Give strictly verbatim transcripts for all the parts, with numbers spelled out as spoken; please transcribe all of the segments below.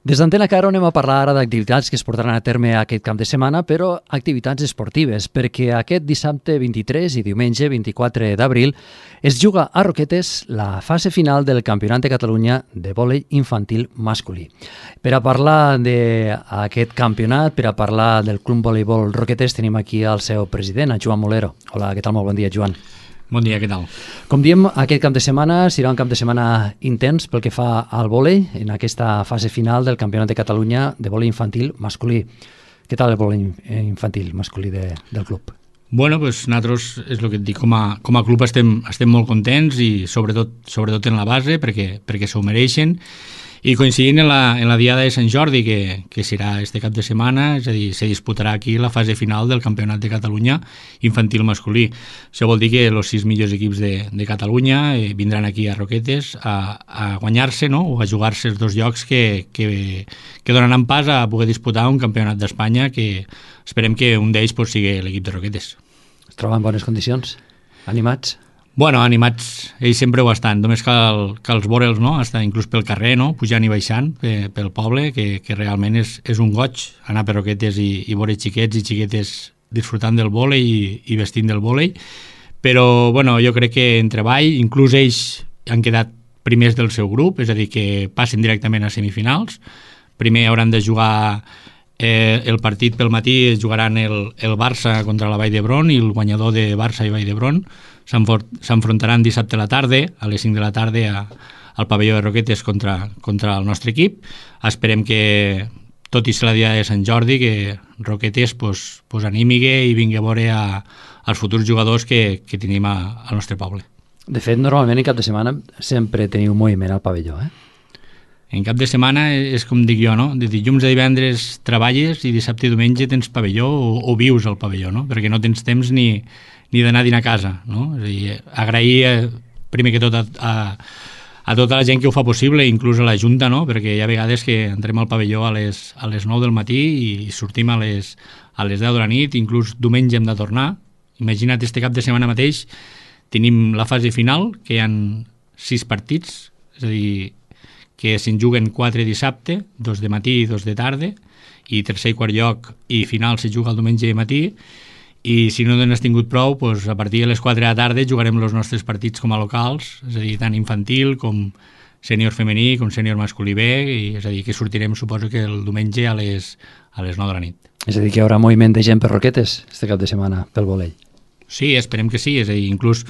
Des d'Antena Caro anem a parlar ara d'activitats que es portaran a terme aquest cap de setmana, però activitats esportives, perquè aquest dissabte vint-i-tres i diumenge vint-i-quatre d'abril es juga a Roquetes la fase final del Campionat de Catalunya de vòlei infantil masculí. Per a parlar d'aquest campionat, per a parlar del Club Voleibol Roquetes, tenim aquí el seu president, el Joan Molero. Hola, què tal? Molt bon dia, Joan. Bon dia, què tal? Com diem, aquest cap de setmana serà un cap de setmana intens pel que fa al vòlei en aquesta fase final del Campionat de Catalunya de vòlei infantil masculí. Què tal el vòlei infantil masculí de, del club? Bueno, pues nosaltres, és el que et dic, com a, com a club estem, estem molt contents i sobretot, sobretot en la base perquè, perquè s'ho mereixen. I coincidint en la, en la Diada de Sant Jordi, que, que serà este cap de setmana, és a dir, se disputarà aquí la fase final del Campionat de Catalunya infantil masculí. Això vol dir que els sis millors equips de, de Catalunya eh, vindran aquí a Roquetes a, a guanyar-se, no?, o a jugar-se els dos llocs que, que, que donaran pas a poder disputar un campionat d'Espanya que esperem que un d'ells pues, sigui l'equip de Roquetes. Es troben en bones condicions? Animats? Bueno, animats, ells sempre ho estan, només cal, cal veure'ls, no?, estar inclús pel carrer, no?, pujant i baixant pe, pel poble, que, que realment és, és un goig anar per Roquetes i, i veure xiquets i xiquetes disfrutant del vòlei i, i vestint del vòlei, però bueno, jo crec que en treball, inclús ells han quedat primers del seu grup, és a dir, que passen directament a semifinals. Primer hauran de jugar eh, el partit pel matí, jugaran el, el Barça contra la Vall d'Hebron i el guanyador de Barça i Vall d'Hebron s'enfrontaran dissabte a la tarda, a les cinc de la tarda, a, al pavelló de Roquetes contra, contra el nostre equip. Esperem que, tot i ser la dia de Sant Jordi, que Roquetes pues, pues animigue i vingui a veure a, als futurs jugadors que, que tenim a, al nostre poble. De fet, normalment en cap de setmana sempre teniu moviment al pavelló, eh? En cap de setmana és com dic jo, no? De dilluns a divendres treballes i dissabte i diumenge tens pavelló o, o vius al pavelló, no? Perquè no tens temps ni, ni d'anar a dinar a casa, no? És a dir, agrair eh, primer que tot a, a, a tota la gent que ho fa possible, inclús a la Junta, no? Perquè hi ha vegades que entrem al pavelló a les, a les nou del matí i sortim a les, a les deu de la nit, inclús diumenge hem de tornar. Imagina't, este cap de setmana mateix tenim la fase final, que hi ha sis partits, és a dir, que se'n juguen quatre dissabte, dos de matí i dos de tarda, i tercer i quart lloc i final se juga el diumenge de matí, i si no n'has tingut prou, doncs a partir de les quatre de la tarda jugarem els nostres partits com a locals, és a dir, tant infantil com sènior femení, com sènior masculí B, i és a dir, que sortirem, suposo que el diumenge a les, a les nou de la nit. És a dir, que hi haurà moviment de gent per Roquetes este cap de setmana pel vòlei. Sí, esperem que sí, és a dir, inclús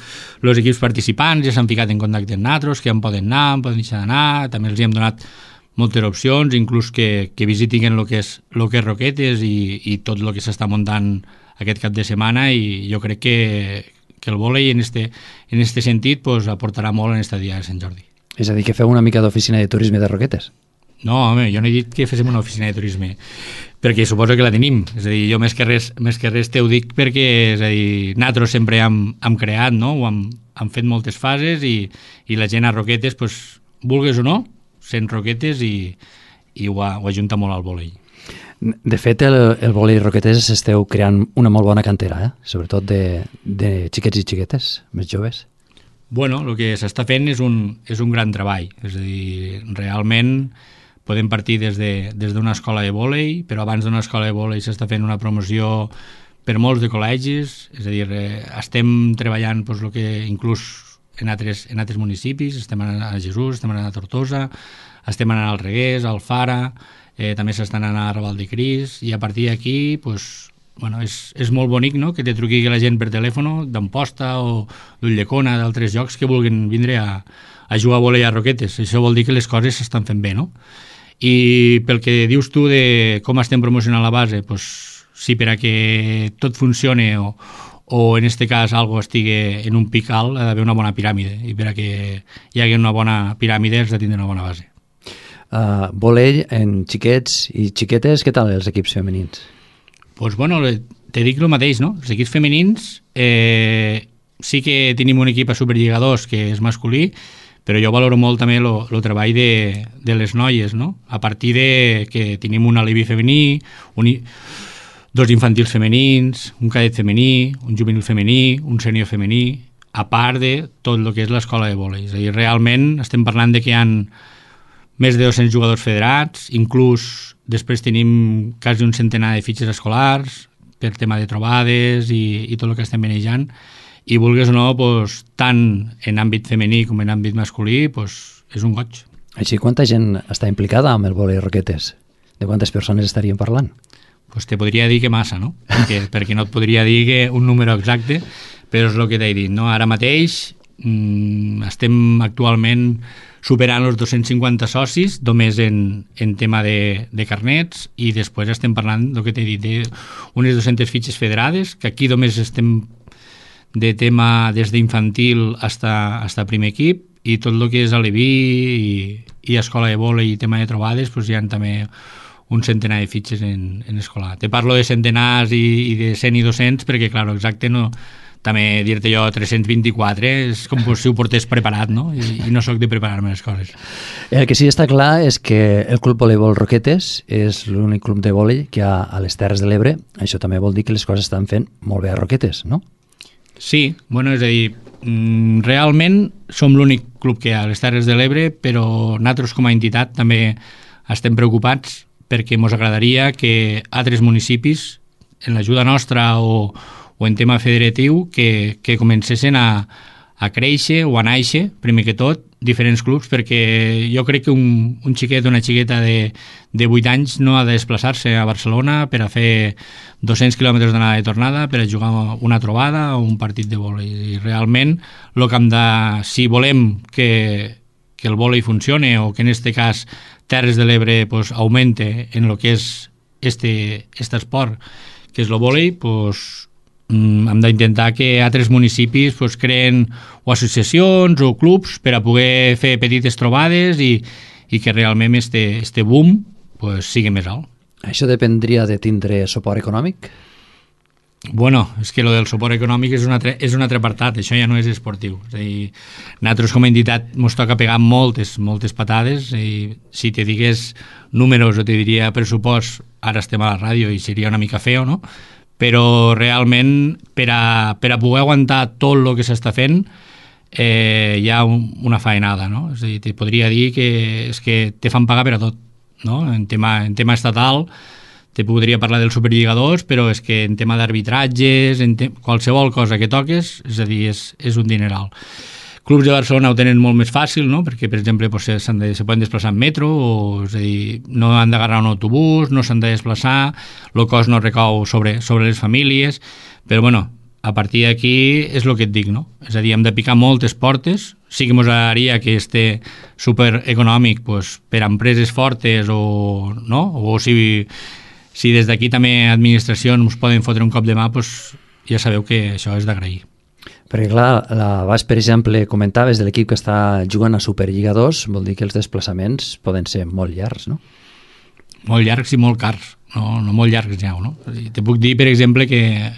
els equips participants ja s'han ficat en contacte amb nosaltres, que en poden anar, en poden deixar d'anar, també els hi hem donat moltes opcions, inclús que, que visitin el que és, el que és Roquetes i, i tot el que s'està muntant aquest cap de setmana, i jo crec que, que el vòlei en este, en este sentit pues, aportarà molt en esta dia de Sant Jordi. És a dir, que feu una mica d'oficina de turisme de Roquetes? No, home, jo no he dit que féssim una oficina de turisme, perquè suposo que la tenim. És a dir, jo més que res, més que res te ho dic perquè, és a dir, nosaltres sempre hem, hem creat, no? O hem, hem fet moltes fases i, i la gent a Roquetes, pues, vulgues o no, sent Roquetes i, i ho, ho ajunta molt al vòlei. De fet, el, el vòlei Roquetes esteu creant una molt bona cantera, eh? Sobretot de, de xiquets i xiquetes, més joves. Bueno, el que s'està fent és un, és un gran treball. És a dir, realment podem partir des de, des d'una escola de vòlei, però abans d'una escola de vòlei s'està fent una promoció per molts de col·legis, és a dir, eh, estem treballant doncs, el que inclús en altres, en altres municipis, estem anant a Jesús, estem anant a Tortosa, estem anant al Reguers, al Fara, eh, també s'estan anant a Raval de Cris, i a partir d'aquí pues, bueno, és, és molt bonic, no?, que te truqui la gent per telèfon d'Amposta o d'Ulldecona, d'altres llocs que vulguin vindre a, a jugar a vòlei a Roquetes. Això vol dir que les coses s'estan fent bé, no? I pel que dius tu de com estem promocionant la base, pues, sí, per a que tot funcione o, o en este cas algo estigui en un pic alt, ha d'haver una bona piràmide, i per a que hi hagi una bona piràmide has de tindre una bona base. Uh, vòlei en xiquets i xiquetes, què tal els equips femenins? Pues bueno, te dic el mateix, no? Els equips femenins eh, sí que tenim un equip a Superliga dos que és masculí, però jo valoro molt també el treball de, de les noies, no? A partir de que tenim un alibi femení, un, dos infantils femenins, un cadet femení, un juvenil femení, un sènior femení, a part de tot el que és l'escola de vòlei. És a dir, realment estem parlant de que hi ha més de dos-cents jugadors federats, inclús després tenim quasi un centenar de fitxes escolars per tema de trobades i, i tot el que estem manejant, i vulguis o no, pues, tant en àmbit femení com en àmbit masculí, pues, és un goig. Així, quanta gent està implicada amb el vòlei roquetes? De quantes persones estaríem parlant? Pues te podria dir que massa, no? Perquè, perquè no et podria dir que un número exacte, però és el que t'he dit, no? Ara mateix mmm, estem actualment superant els dos-cents cinquanta socis només en, en tema de, de carnets, i després estem parlant del que t'he dit, d'unes dues-centes fitxes federades, que aquí només estem de tema des d'infantil hasta, hasta primer equip, i tot el que és aleví i, i escola de vòlei i tema de trobades, pues hi ha també un centenar de fitxes en, en escolar. Te parlo de centenars i, i de cent i dos-cents perquè, clar, exacte, no, també dir-te jo tres-cents vint-i-quatre és com si ho portés preparat, no? I, i no sóc de preparar-me les coses. El que sí està clar és que el Club Voleibol Roquetes és l'únic club de vòlei que hi ha a les Terres de l'Ebre. Això també vol dir que les coses estan fent molt bé a Roquetes, no? Sí, bueno, és a dir, realment som l'únic club que hi ha a les Terres de l'Ebre, però nosaltres com a entitat també estem preocupats perquè ens agradaria que altres municipis, en l'ajuda nostra o, o en tema federatiu, que, que comencessin a, a créixer o a néixer, primer que tot, diferents clubs, perquè jo crec que un, un xiquet o una xiqueta de, de vuit anys no ha de desplaçar-se a Barcelona per a fer dos-cents quilòmetres d'anada i tornada per a jugar una trobada o un partit de vòlei. I realment, lo que hem de, si volem que, que el vòlei funcione o que en este cas Terres de l'Ebre pues, aumente en lo que és este, este esport, que és el vòlei, pues, hem d'intentar que altres municipis pues, creen o associacions o clubs per a poder fer petites trobades i, i que realment este, este boom pues, sigui més alt. Això dependria de tindre suport econòmic? Bueno, és que lo del suport econòmic és un altre, és un altre apartat, això ja no és esportiu. És a dir, nosaltres com a entitat ens toca pegar moltes, moltes patades, i si te digués números o te diria pressupost, ara estem a la ràdio i seria una mica feo, no? Però realment per a, per a poder aguantar tot el que s'està fent eh, hi ha un, una faenada, no? És a dir, te podria dir que, és que te fan pagar per a tot, no? En tema, en tema estatal te podria parlar dels superlligadors, però és que en tema d'arbitratges, en te... qualsevol cosa que toques, és a dir, és, és un dineral. Clubs de Barcelona ho tenen molt més fàcil, no? Perquè, per exemple, pues, s'han de, se poden desplaçar en metro, o, és a dir, no han d'agarrar un autobús, no s'han de desplaçar, el cost no recau sobre, sobre les famílies, però, bueno, a partir d'aquí és el que et dic, no? És a dir, hem de picar moltes portes, sí que ens agradaria que este supereconòmic pues, per a empreses fortes o, no? O si... Si des d'aquí també administracions ens poden fotre un cop de mà, doncs ja sabeu que això és d'agrair. Perquè clar, l'abans, per exemple, comentaves de l'equip que està jugant a Superliga dos, vol dir que els desplaçaments poden ser molt llargs, no? Molt llargs i molt cars, no, no molt llargs ja, no? Te puc dir, per exemple, que,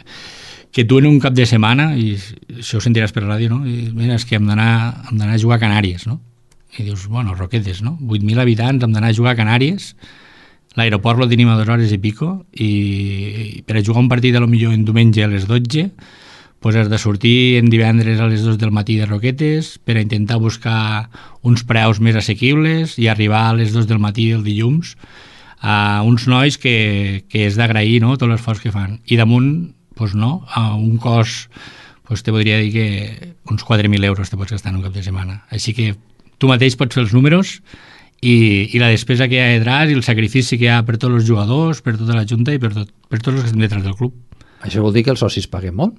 que tu en un cap de setmana, i això ho sentiràs per ràdio, no? I, mira, és que hem d'anar a jugar a Canàries, no? I dius, bueno, Roquetes, no? vuit mil habitants, hem d'anar a jugar a Canàries. L'aeroport lo tenim a dues hores i pico, i per a jugar un partit a lo millor en diumenge a les dotze pues has de sortir en divendres a les dues del matí de Roquetes per a intentar buscar uns preus més assequibles i arribar a les dues del matí del dilluns a uns nois que, que és d'agrair, no?, tot l'esforç que fan. I damunt, pues no, a un cost, pues te podria dir que uns quatre mil euros te pots gastar en un cap de setmana. Així que tu mateix pots fer els números i, i la despesa que hi ha detrás i el sacrifici que hi ha per tots els jugadors, per tota la junta i per, tot, per tots els que estem detrás del club. Això vol dir que els socis paguen molt?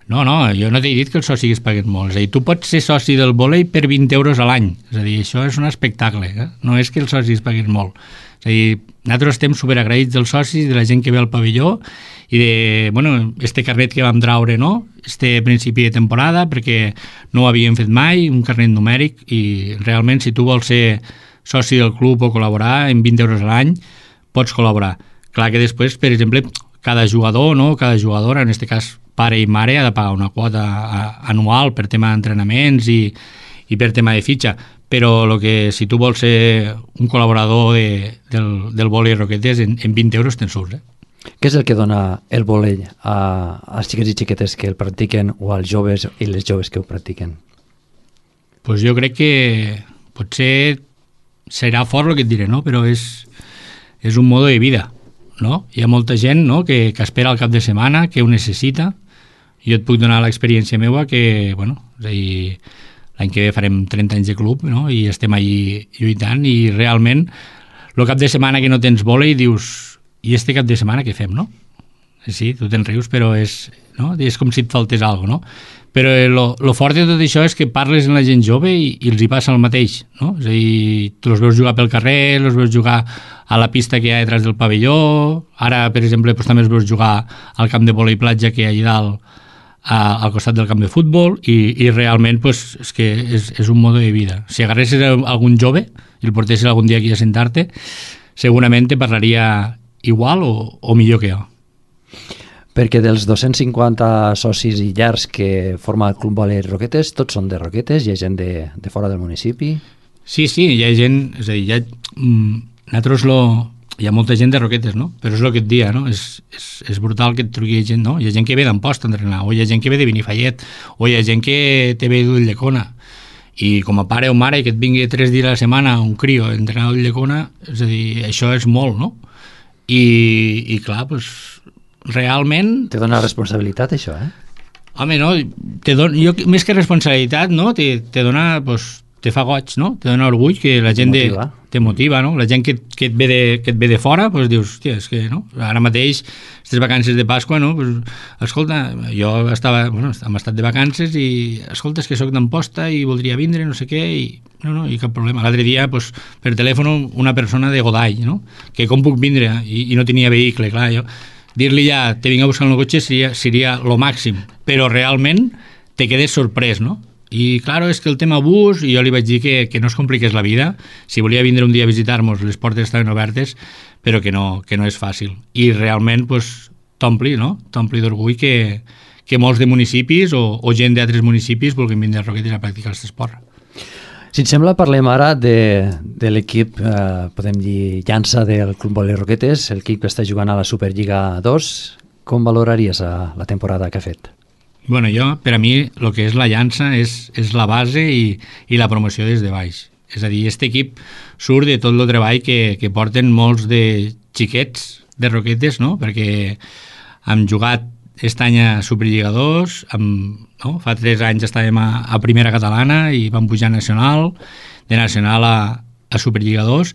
No, no, jo no t'he dit que els socis paguen molt. És a dir, tu pots ser soci del vòlei per vint euros a l'any. És a dir, això és un espectacle, eh? No és que els socis paguen molt. És a dir, nosaltres estem superagraïts dels socis, de la gent que ve al pavelló i de, bueno, este carnet que vam traure, no?, este principi de temporada, perquè no ho havíem fet mai, un carnet numèric, i realment si tu vols ser soci del club o col·laborar en vint euros a l'any, pots col·laborar. Clar que després, per exemple, cada jugador, no?, cada jugadora, en aquest cas pare i mare, ha de pagar una quota anual per tema d'entrenaments i, i per tema de fitxa, però lo que, si tu vols ser un col·laborador de, del, del vòlei Roquetes, en, en vint euros te'n surts, eh? Què és el que dona el vòlei a, als xiquets i xiquetes que el practiquen o als joves i les joves que ho practiquen? Pues jo crec que potser serà fort el que et diré, no? Però és, és un modo de vida, no? Hi ha molta gent, no?, que, que espera el cap de setmana, que ho necessita. Jo et puc donar l'experiència meva que, bueno, és a dir, l'any que ve farem trenta anys de club, no?, i estem allí lluitant, i realment el cap de setmana que no tens vòlei dius, i este cap de setmana què fem, no? Sí, tu te'n rius, però és, no?, és com si et faltés alguna cosa, no? Però lo, lo fort de tot això és que parles amb la gent jove i, i els hi passa el mateix, no? És a dir, tu els veus jugar pel carrer, els veus jugar a la pista que hi ha detrás del pavelló, ara, per exemple, doncs, també els veus jugar al camp de vòlei platja que hi ha allà dalt, a, al costat del camp de futbol, i, i realment doncs, és que és, és un mode de vida. Si agarressis algun jove i el portessis algun dia aquí a sentar-te, segurament te parlaria igual o, o millor que jo. Perquè dels dos-cents cinquanta socis i llars que forma el Club Vòlei Roquetes, tots són de Roquetes? Hi ha gent de, de fora del municipi? Sí, sí, hi ha gent, és a dir, hi ha, mm, nosaltres lo, hi ha molta gent de Roquetes, no? Però és el que et dia, no? És, és, és brutal que et truqui gent, no? Hi ha gent que ve d'Amposta a entrenar, o hi ha gent que ve de Benifallet, o hi ha gent que te ve d'Ulldecona. I com a pare o mare que et vingui tres dies a la setmana un crio a entrenar a Ulldecona, és a dir, això és molt, no? I, i clar, doncs, realment... Te dona responsabilitat, això, eh? Home, no, te don, jo, més que responsabilitat, no, te, te dona, pues, te fa goig, no? Te dona orgull que la gent de, te motiva, no? La gent que, que, et ve de, que et ve de fora, pues, dius, hòstia, és que, no? Ara mateix, aquestes vacances de Pasqua, no? Pues, escolta, jo estava, bueno, hem estat de vacances i, escolta, és que soc d'Amposta i voldria vindre, no sé què, i no, no, i cap problema. L'altre dia, pues, per telèfon, una persona de Godall, no? Que com puc vindre? I, i no tenia vehicle, clar, jo... Dir-li ja, te vinc a buscar el cotxe seria, seria lo màxim, però realment te quedes sorprès, no? I, claro, és que el tema bus, i jo li vaig dir que, que no es compliqués la vida, si volia vindre un dia a visitar-nos, les portes estaven obertes, però que no, que no és fàcil. I realment, pues, t'ompli, no? T'ompli d'orgull que, que molts de municipis o, o gent d'altres municipis vulguin vindre a Roquetes a practicar aquest esport. Si et sembla, parlem ara de, de l'equip, eh, podem dir, llança del Club Vòlei Roquetes, l'equip que està jugant a la Superliga dos. Com valoraries a, la temporada que ha fet? Bueno, jo, per a mi, el que és la llança és, és la base i, i la promoció des de baix. És a dir, aquest equip surt de tot el treball que, que porten molts de xiquets de Roquetes, no? Perquè hem jugat aquest any a Superliga dos, amb, no? Fa tres anys estàvem a, a Primera Catalana i vam pujar a Nacional, de Nacional a, a Superliga dos,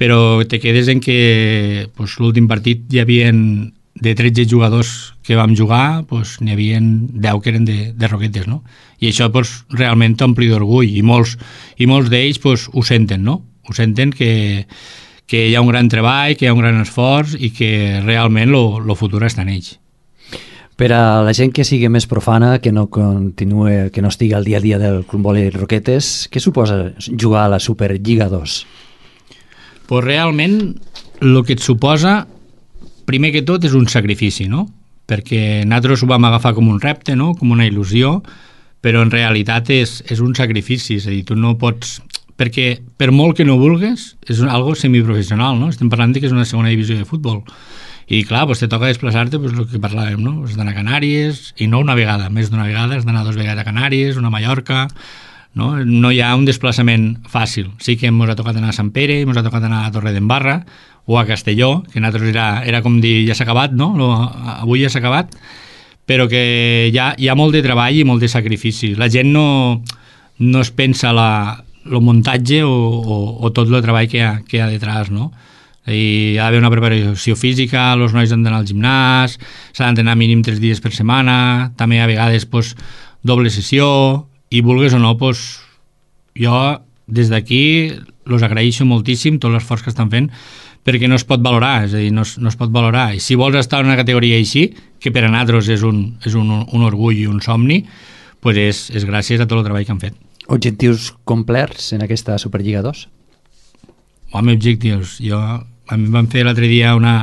però te quedes en que pues, l'últim partit hi havia de tretze jugadors que vam jugar, pues, n'hi havia deu que eren de, de Roquetes, no? I això pues, realment t'ompli d'orgull, i molts, i molts d'ells pues, ho senten, no? Ho senten que, que hi ha un gran treball, que hi ha un gran esforç i que realment el futur està en ells. Per a la gent que sigui més profana, que no continue, que no estigui al dia a dia del Club Vòlei Roquetes, què suposa jugar a la Superliga dos? Pues realment, el que et suposa, primer que tot, és un sacrifici, no? Perquè nosaltres ho vam agafar com un repte, no? Com una il·lusió, però en realitat és, és un sacrifici, és a dir, tu no pots... Perquè per molt que no vulgues, és algo semiprofessional, no? Estem parlant de que és una segona divisió de futbol. I clar, pues, te toca desplaçar-te, pues, el que parlàvem, no? Has d'anar a Canàries, i no una vegada, més d'una vegada, has d'anar dues vegades a Canàries, una a Mallorca, no? No hi ha un desplaçament fàcil. Sí que ens ha tocat anar a Sant Pere, ens ha tocat anar a Torredembarra, o a Castelló, que nosaltres era, era com dir, ja s'ha acabat, no? Lo, avui ja s'ha acabat, però que hi ha, hi ha molt de treball i molt de sacrifici. La gent no, no es pensa la, el muntatge o, o, o tot el treball que hi ha, que hi ha detrás, no? I ha d'haver una preparació física, els nois han d'anar al gimnàs, s'ha d'entrenar mínim tres dies per setmana, també a vegades pues, doble sessió, i vulgues o no, pues, jo des d'aquí els agraeixo moltíssim tot l'esforç que estan fent, perquè no es pot valorar, és a dir, no es, no es pot valorar. I si vols estar en una categoria així, que per a nosaltres és un, és un, un orgull i un somni, pues és, és gràcies a tot el treball que han fet. Objectius complerts en aquesta Superliga dos? Home, objectius, jo... A mi em van fer l'altre dia una,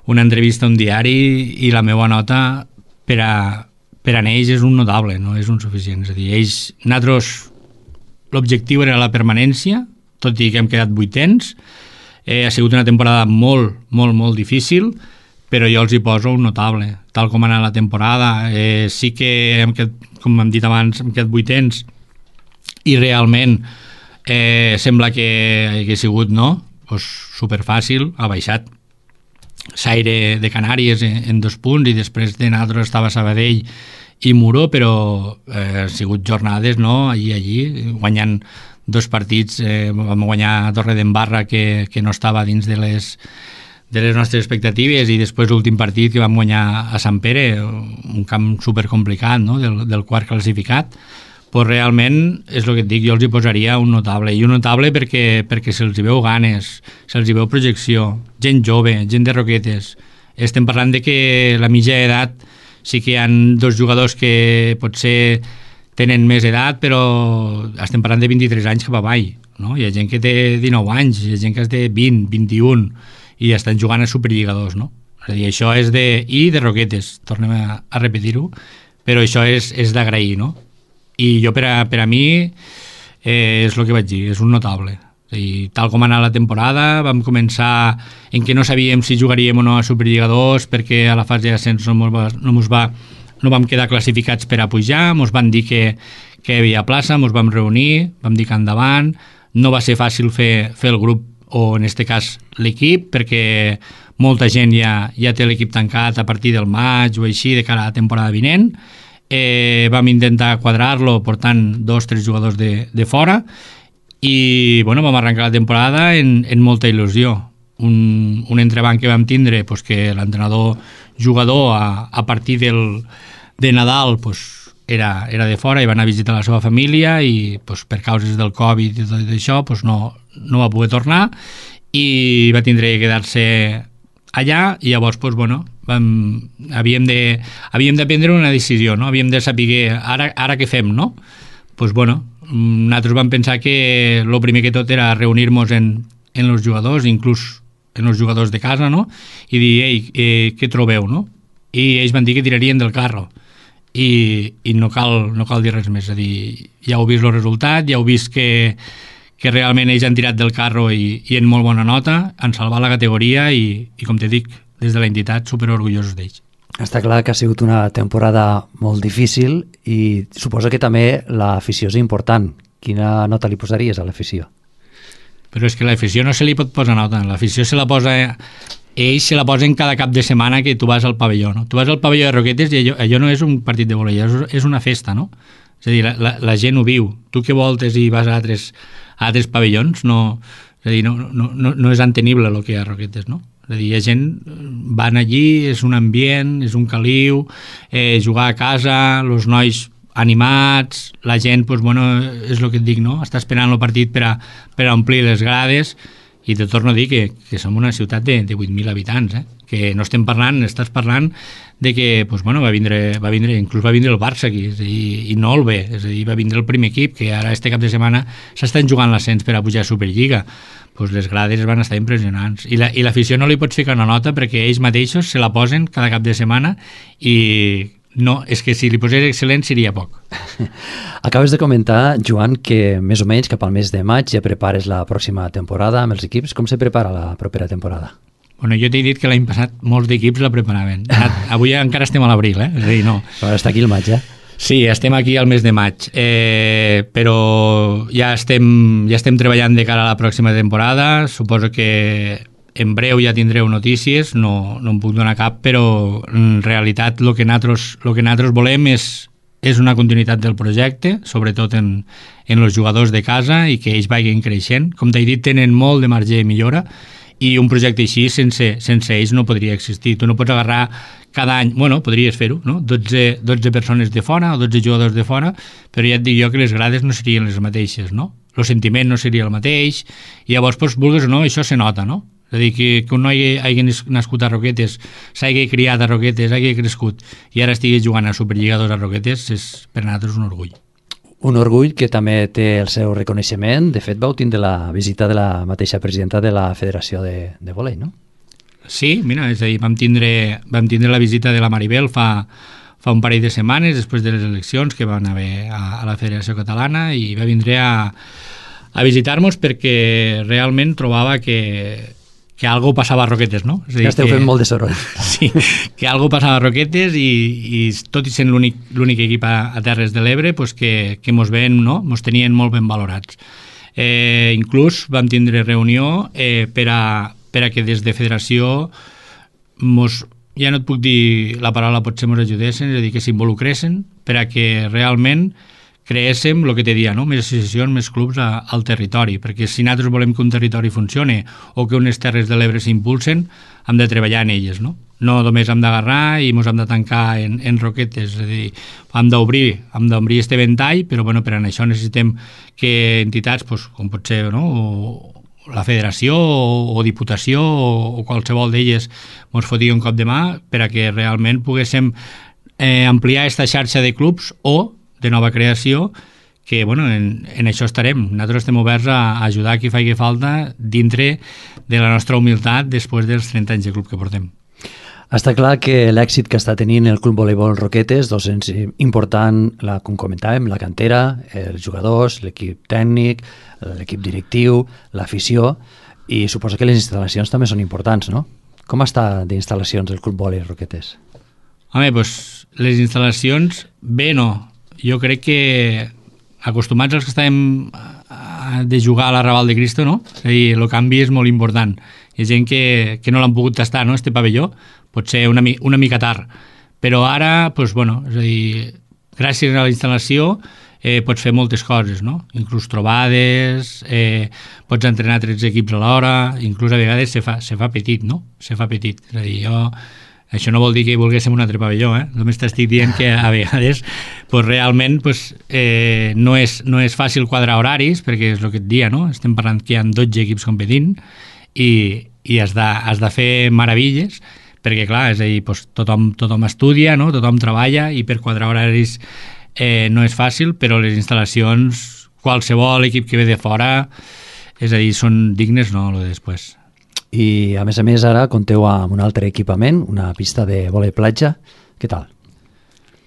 una entrevista a un diari i la meva nota per a, per a ells és un notable, no és un suficient. És a dir, ells, nosaltres, l'objectiu era la permanència, tot i que hem quedat vuitens. Eh, ha sigut una temporada molt, molt, molt difícil, però jo els hi poso un notable. Tal com ha anat la temporada, eh, sí que, hem quedat, com hem dit abans, hem quedat vuitens i realment eh, sembla que hagués sigut, no? Pues superfàcil, ha baixat Saire de Canàries en, en dos punts i després de nosaltres estava Sabadell i Muro, però eh, han sigut jornades, no? Allí, allí, guanyant dos partits, eh, vam guanyar Torredembarra que, que no estava dins de les, de les nostres expectatives, i després l'últim partit que vam guanyar a Sant Pere, un camp supercomplicat, no? del, del quart classificat. Pues realment, és el que et dic, jo els hi posaria un notable, i un notable perquè, perquè se'ls hi veu ganes, se'ls hi veu projecció, gent jove, gent de Roquetes. Estem parlant de que la mitja edat, sí que hi ha dos jugadors que potser tenen més edat, però estem parlant de vint-i-tres anys cap avall, no? Hi ha gent que té dinou anys, hi ha gent que té vint, vint-i-un, i estan jugant a Superliga dos, no? És a dir, això és de... i de Roquetes, tornem a, a repetir-ho, però això és, és d'agrair, no? I jo, per a, per a mi, eh, és el que vaig dir, és un notable. I tal com anava la temporada, vam començar en què no sabíem si jugaríem o no a Superliga dos, perquè a la fase d'ascens no, mos va, no, mos va, no vam quedar classificats per a pujar, mos van dir que, que hi havia plaça, mos vam reunir, vam dir que endavant, no va ser fàcil fer, fer el grup, o en aquest cas l'equip, perquè molta gent ja, ja té l'equip tancat a partir del maig o així de cara a la temporada vinent. Eh, vam intentar quadrar-lo portant dos o tres jugadors de, de fora, i bueno, vam arrencar la temporada en, en molta il·lusió. Un, un entrebanc que vam tindre, pues, que l'entrenador jugador a, a partir del, de Nadal pues, era, era de fora i va anar a visitar la seva família, i pues, per causes del Covid i tot això pues, no, no va poder tornar, i va tindre que quedar-se allà, i llavors pues, bueno, vam, havíem de havíem de prendre una decisió, no? Havíem de saber ara, ara què fem, no? Pues bueno, nosaltres vam pensar que el primer que tot era reunir-nos en, en els jugadors, inclús en els jugadors de casa, no? I dir, ei, eh, què trobeu, no? I ells van dir que tirarien del carro, i, i no, cal, no cal dir res més. És a dir, ja heu vist el resultat, ja heu vist que que realment ells han tirat del carro i, i en molt bona nota, han salvat la categoria, i, i com te dic, des de l'entitat superorgullosos d'ells. Està clar que ha sigut una temporada molt difícil, i suposo que també l'afició és important. Quina nota li posaries a l'afició? Però és que l'afició no se li pot posar nota, l'afició se la posa... Ells se la posen cada cap de setmana que tu vas al pavelló, no? Tu vas al pavelló de Roquetes i allò, allò no és un partit de voleibol, és una festa, no? És a dir, la, la, la gent ho viu. Tu que voltes i vas a altres, a altres pavellons, no, és a dir, no, no, no, no és entenible el que hi ha a Roquetes, no? És a dir, la gent van allí, és un ambient, és un caliu, eh, jugar a casa, els nois animats, la gent, pues, bueno, és el que et dic, no? Està esperant el partit per a, per a omplir les grades, i te torno a dir que, que som una ciutat de, de vuit mil habitants, eh? Que no estem parlant, estàs parlant de que pues, bueno, va vindre, va vindre, inclús va vindre el Barça aquí, és a dir, i no el bé, és a dir, va vindre el primer equip, que ara este cap de setmana s'estan jugant l'ascens per a pujar a Superliga. Pues les grades van estar impressionants, i la, i l'afició no li pots ficar una nota perquè ells mateixos se la posen cada cap de setmana, i no, és que si li posés excel·lent seria poc. Acabes de comentar, Joan, que més o menys cap al mes de maig ja prepares la pròxima temporada amb els equips. Com se prepara la propera temporada? Bueno, jo t'he dit que l'any passat molts d'equips la preparaven. Avui encara estem a l'abril, eh? És a dir, no. Però està aquí el maig, eh? Sí, estem aquí al mes de maig, eh, però ja estem, ja estem treballant de cara a la pròxima temporada. Suposo que en breu ja tindreu notícies, no, no em puc donar cap, però en realitat el que nosaltres, el que nosaltres volem és, és una continuïtat del projecte, sobretot en, en els jugadors de casa, i que ells vagin creixent. Com t'he dit, tenen molt de marge de millora, i un projecte així sense, sense ells no podria existir. Tu no pots agarrar cada any, bueno, podries fer-ho, no? dotze, dotze persones de fora o dotze jugadors de fora, però ja et dic jo que les grades no serien les mateixes, no? El sentiment no seria el mateix, i llavors, doncs, vulguis o no, això se nota, no? És a dir, que, que un noi hagi nascut a Roquetes, s'hagi criat a Roquetes, hagi crescut, i ara estigui jugant a Superliga dos a Roquetes, és per nosaltres un orgull. Un orgull que també té el seu reconeixement. De fet, vau tindre la visita de la mateixa presidenta de la Federació de, de Volei, no? Sí, mira, és a dir, vam tindre, vam tindre la visita de la Maribel fa, fa un parell de setmanes, després de les eleccions que van haver a, a la Federació Catalana, i va vindre a, a visitar-nos perquè realment trobava que que algo passava a Roquetes, no? És a dir, que esteu fent molt de soroll. Sí, que algo passava a Roquetes, i, i tot i sent l'únic equip a, a Terres de l'Ebre, pues que, que mos ven, no? Mos tenien molt ben valorats. Eh, inclús vam tindre reunió eh, per, a, per a que des de federació mos, ja no et puc dir la paraula, potser mos ajudessin, és a dir, que s'involucressin per a que realment creéssim el que te dia, no? Més associacions, més clubs a, al territori, perquè si nosaltres volem que un territori funcione o que unes terres de l'Ebre s'impulsen, hem de treballar en elles, no? No només hem d'agarrar i ens hem de tancar en, en Roquetes, és a dir, hem d'obrir, hem d'obrir este ventall, però bueno, per a això necessitem que entitats, pues, com pot ser, no?, o la federació o, o diputació o, o qualsevol d'elles ens foti un cop de mà per a que realment poguéssim eh, ampliar aquesta xarxa de clubs o de nova creació, que bueno, en, en això estarem. Nosaltres estem oberts a, a ajudar a qui faci falta dintre de la nostra humilitat després dels trenta anys de club que portem. Està clar que l'èxit que està tenint el Club Voleibol Roquetes, doncs és important, la, com comentàvem, la cantera, els jugadors, l'equip tècnic, l'equip directiu, l'afició, i suposo que les instal·lacions també són importants, no? Com està d'instal·lacions el Club Voleibol Roquetes? Home, doncs les instal·lacions, bé no. Jo crec que acostumats als que estàvem de jugar a la Raval de Cristo, no? És a dir, el canvi és molt important. Hi ha gent que, que no l'han pogut tastar, no?, este pavelló, pot ser una, una mica tard. Però ara, doncs, bueno, és a dir, gràcies a la instal·lació eh, pots fer moltes coses, no? Inclús trobades, eh, pots entrenar tretze equips a l'hora, inclús a vegades se fa, se fa petit, no? Se fa petit. És a dir, jo... Això no vol dir que volguéssim un altre pavelló, eh? Només t'estic dient que a vegades pues, realment pues, eh, no, és, no és fàcil quadrar horaris, perquè és el que et dia, no? Estem parlant que hi ha dotze equips competint i, i has, de, has de fer meravilles, perquè clar, és a dir, pues, tothom, tothom estudia, no? Tothom treballa i per quadrar horaris eh, no és fàcil, però les instal·lacions, qualsevol equip que ve de fora, és a dir, són dignes, no? Lo de després. I a més a més ara compteu amb un altre equipament, una pista de vòlei platja. Què tal?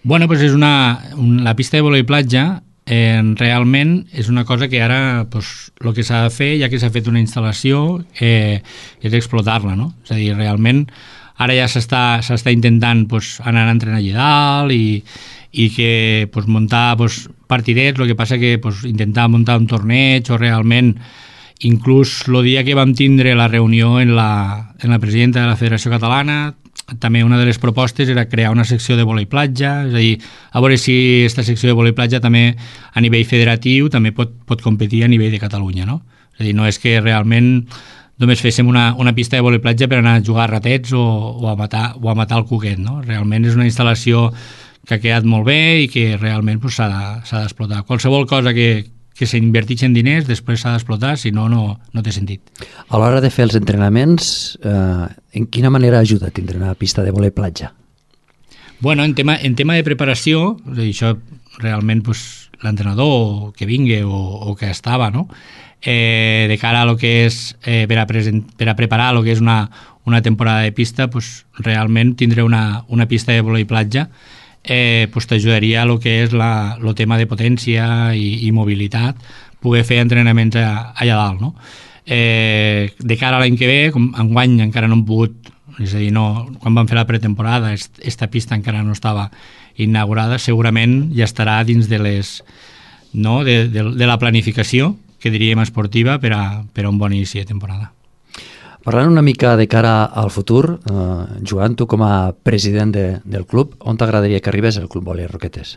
Bueno, pues és una, un, la pista de vòlei platja eh, realment és una cosa que ara pues, el que s'ha de fer, ja que s'ha fet una instal·lació, eh, és explotar-la, no? És a dir, realment ara ja s'està s'està intentant pues, anar a entrenar allà dalt i, i que pues, muntar pues, partidets, el que passa que pues, intentar muntar un torneig o realment inclús el dia que vam tindre la reunió en la, en la presidenta de la Federació Catalana, també una de les propostes era crear una secció de vòlei platja, és a dir, a veure si aquesta secció de vòlei platja també a nivell federatiu també pot, pot competir a nivell de Catalunya, no? És a dir, no és que realment només féssim una, una pista de vòlei platja per anar a jugar a ratets o, o, a matar, o a matar el cuquet, no? Realment és una instal·lació que ha quedat molt bé i que realment pues, s'ha de, d'explotar. Qualsevol cosa que que s'inverteixen diners, després s'ha d'explotar, si no, no, no té sentit. A l'hora de fer els entrenaments, eh, en quina manera ajuda a tindre una pista de vòlei platja? Bueno, en tema, en tema de preparació, és a dir, això realment pues, l'entrenador que vingui o, o que estava, no? eh, de cara a lo que és, eh, per, a present, per a preparar el que és una, una temporada de pista, pues, realment tindre una, una pista de vòlei platja Eh, pues t'ajudaria a lo que és la, lo tema de potència i, i mobilitat, poder fer entrenaments a, allà dalt, no? Eh, de cara a l'any que ve, com enguany encara no hem pogut, és a dir, no, quan vam fer la pretemporada, esta pista encara no estava inaugurada, segurament ja estarà dins de les, no, de, de, de la planificació, que diríem esportiva, per a, per a un bon inici de temporada. Parlant una mica de cara al futur, eh, Joan, tu com a president de, del club, on t'agradaria que arribés el Club Voleibol Roquetes?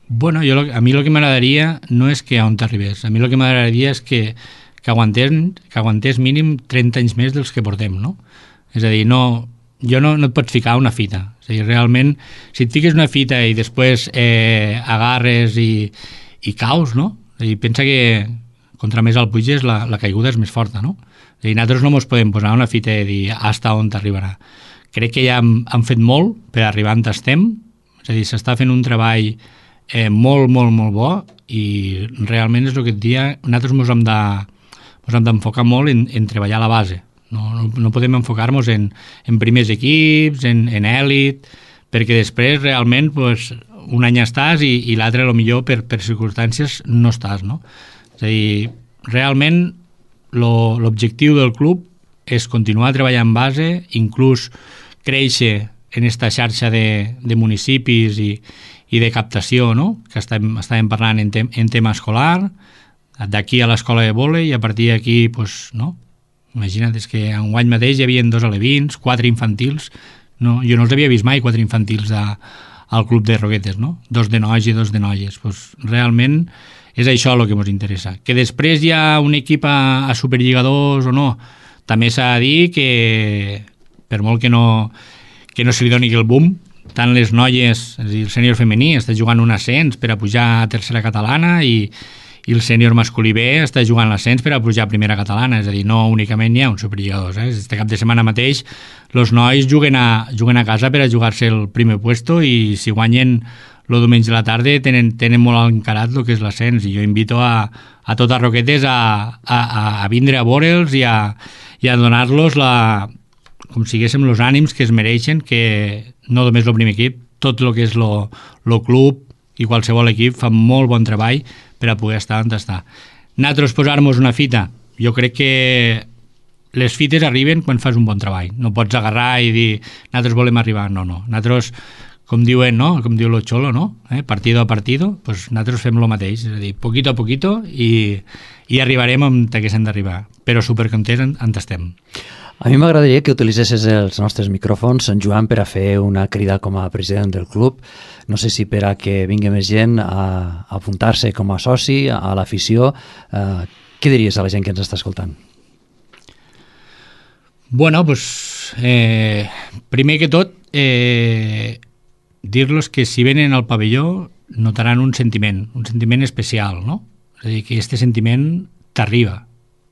Bueno, jo, a mi el que m'agradaria no és que on t'arribés, a mi el que m'agradaria és que, que, aguantés, que aguantés mínim trenta anys més dels que portem, no? És a dir, no, jo no, no et pots ficar una fita, és a dir, realment, si et fiques una fita i després eh, agarres i, i caus, no? És a dir, pensa que contra més al puges la, la caiguda és més forta, no? I nosaltres no ens podem posar una fita i dir hasta on t'arribarà. Crec que ja hem, hem fet molt per arribar on estem, és a dir, s'està fent un treball eh, molt, molt, molt bo i realment és el que et dia, nosaltres ens hem, de, ens hem d'enfocar molt en, en treballar a la base. No, no, no podem enfocar-nos en, en primers equips, en, en èlit, perquè després realment pues, un any estàs i, i l'altre potser per, per circumstàncies no estàs, no? És a dir, realment l'objectiu del club és continuar treballant en base, inclús créixer en aquesta xarxa de, de municipis i, i de captació, no? Que estàvem, estàvem parlant en, tem, en tema escolar, d'aquí a l'escola de vòlei i a partir d'aquí, pues, no? Imagina't, és que enguany mateix hi havia dos alevins, quatre infantils, no? Jo no els havia vist mai, quatre infantils de, al club de Roquetes, no? Dos de nois i dos de noies. Pues, realment és això el que ens interessa. Que després hi ha un equip a, a Superliga dos o no, també s'ha de dir que per molt que no, que no se li doni el boom, tant les noies, és a dir, el sènior femení està jugant un ascens per a pujar a tercera catalana i i el sènior masculí B està jugant l'ascens per a pujar a primera catalana, és a dir, no únicament hi ha un Superliga dos. Eh? Este cap de setmana mateix els nois juguen a, juguen a casa per a jugar-se el primer puesto i si guanyen el diumenge a la tarda tenen, tenen molt encarat el que és l'ascens i jo invito a, a totes Roquetes a, a, a vindre a veure'ls i a, i a donar-los la, com siguéssim els ànims que es mereixen, que no només el primer equip, tot el que és el club i qualsevol equip fa molt bon treball per a poder estar on està. Nosaltres posar-nos una fita, jo crec que les fites arriben quan fas un bon treball. No pots agarrar i dir, nosaltres volem arribar. No, no. Nosaltres, com diuen, no? Com diu lo xolo, no? Eh? Partido a partido, pues nosaltres fem el mateix. És a dir, poquito a poquito i, i arribarem on que s'hem d'arribar. Però supercontents on, on estem. A mi m'agradaria que utilitzessis els nostres micròfons, en Joan, per a fer una crida com a president del club. No sé si per a que vingui més gent a apuntar-se com a soci, a l'afició. Eh, què diries a la gent que ens està escoltant? Bueno, pues, eh, primer que tot, eh, dir-los que si venen al pavelló notaran un sentiment, un sentiment especial, no? És a dir, que aquest sentiment t'arriba.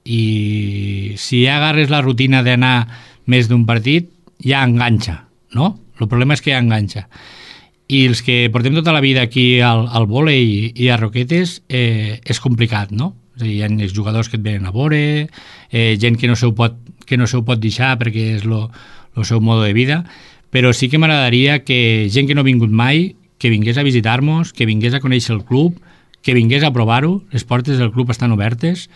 I si ja agarres la rutina d'anar més d'un partit, ja enganxa, no? El problema és que ja enganxa. I els que portem tota la vida aquí al, al vòlei i, i a Roquetes eh, és complicat, no? És a dir, hi ha els jugadors que et venen a veure, eh, gent que no se ho pot, que no se ho pot deixar perquè és el seu mode de vida, però sí que m'agradaria que gent que no ha vingut mai, que vingués a visitar-nos, que vingués a conèixer el club, que vingués a provar-ho, les portes del club estan obertes,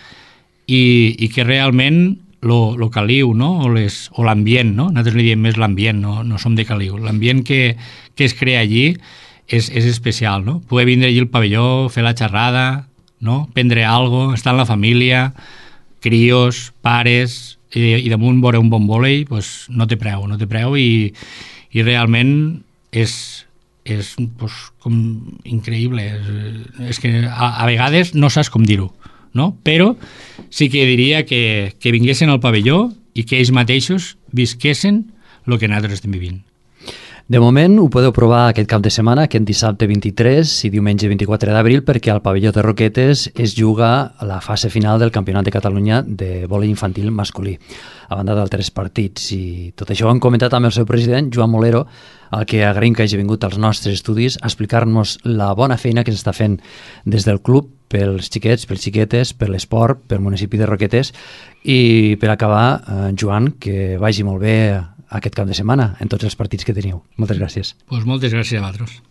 i, i que realment lo, lo caliu, no? o, les, o l'ambient, no? Nosaltres li diem més l'ambient, no, no som de caliu. L'ambient que, que es crea allí és, és especial, no? Poder vindre allí al pavelló, fer la xerrada, no? Prendre alguna cosa, estar amb la família, crios, pares, i, i damunt veure un bon vòlei, pues, no té preu, no té preu i, i realment és, és pues, com increïble. És, és que a, a vegades no saps com dir-ho, no? Però sí que diria que, que vinguessin al pavelló i que ells mateixos visquessin el que nosaltres estem vivint. De moment ho podeu provar aquest cap de setmana, aquest dissabte vint-i-tres i diumenge vint-i-quatre d'abril, perquè al pavelló de Roquetes es juga la fase final del Campionat de Catalunya de vòlei infantil masculí, a banda d'altres partits. I tot això ho hem comentat amb el seu president, Joan Molero, al que agraïm que hagi vingut als nostres estudis a explicar-nos la bona feina que s'està fent des del club pels xiquets, pels xiquetes, per l'esport, pel municipi de Roquetes. I per acabar, eh, Joan, que vagi molt bé aquest cap de setmana en tots els partits que teniu. Moltes gràcies. Pues moltes gràcies a vosaltres.